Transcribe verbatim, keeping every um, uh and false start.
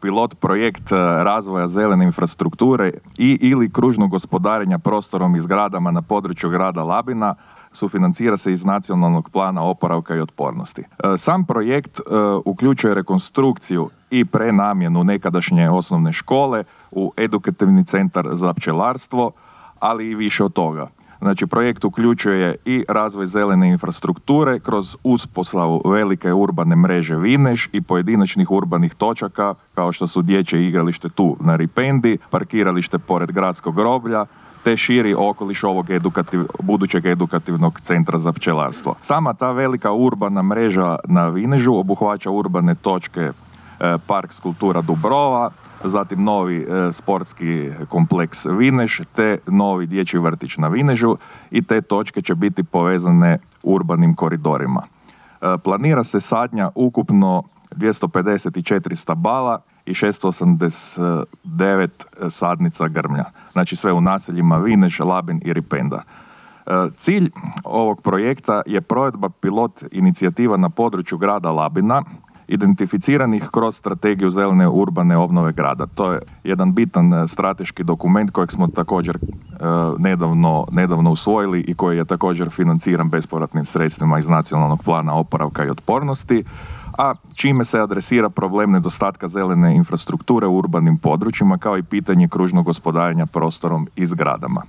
pilot projekt razvoja zelene infrastrukture i ili kružnog gospodarenja prostorom i zgradama na području grada Labina sufinancira se iz Nacionalnog plana oporavka i otpornosti. Sam projekt uključuje rekonstrukciju i prenamjenu nekadašnje osnovne škole u edukativni centar za pčelarstvo, ali i više od toga. Znači, projekt uključuje i razvoj zelene infrastrukture kroz uspostavu velike urbane mreže Vineš i pojedinačnih urbanih točaka kao što su dječje igralište tu na Ripendi, parkiralište pored gradskog groblja, te širi okoliš ovog edukativ, budućeg edukativnog centra za pčelarstvo. Sama ta velika urbana mreža na Vinežu obuhvaća urbane točke e, Park Skulptura Dubrova, zatim novi e, sportski kompleks Vineš, te novi dječji vrtić na Vinežu i te točke će biti povezane urbanim koridorima. E, planira se sadnja ukupno dvjesto pedeset četiri stabala i šesto osamdeset devet sadnica grmlja. Znači sve u naseljima Vineš, Labin i Ripenda. E, cilj ovog projekta je provedba pilot inicijativa na području grada Labina, identificiranih kroz strategiju zelene urbane obnove grada. To je jedan bitan strateški dokument kojeg smo također e, nedavno, nedavno usvojili i koji je također financiran bespovratnim sredstvima iz Nacionalnog plana oporavka i otpornosti, a čime se adresira problem nedostatka zelene infrastrukture u urbanim područjima kao i pitanje kružnog gospodarenja prostorom i zgradama.